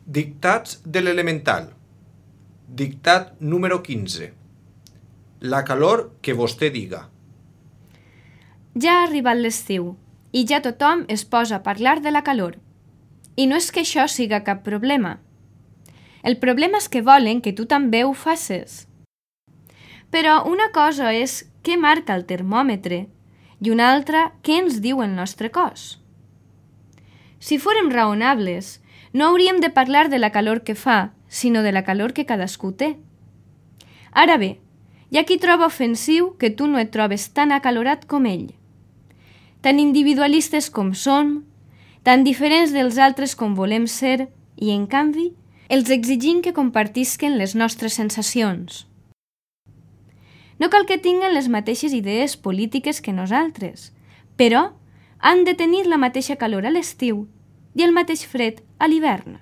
Dictats de l'elemental. Dictat número 15. La calor que vostè diga. Ja ha arribat l'estiu i ja tothom es posa a parlar de la calor. I no és que això siga cap problema. El problema és que volen que tu també ho faces. Però una cosa és què marca el termòmetre i una altra què ens diu el nostre cos. Si fórem raonables, no hauríem de parlar de la calor que fa, sinó de la calor que cadascú té. Ara bé, hi ha qui troba ofensiu que tu no et trobes tan acalorat com ell. Tan individualistes com som, tan diferents dels altres com volem ser, i en canvi, els exigim que compartisquen les nostres sensacions. No cal que tinguin les mateixes idees polítiques que nosaltres, però han de tenir la mateixa calor a l'estiu i el mateix fred a l'hivern.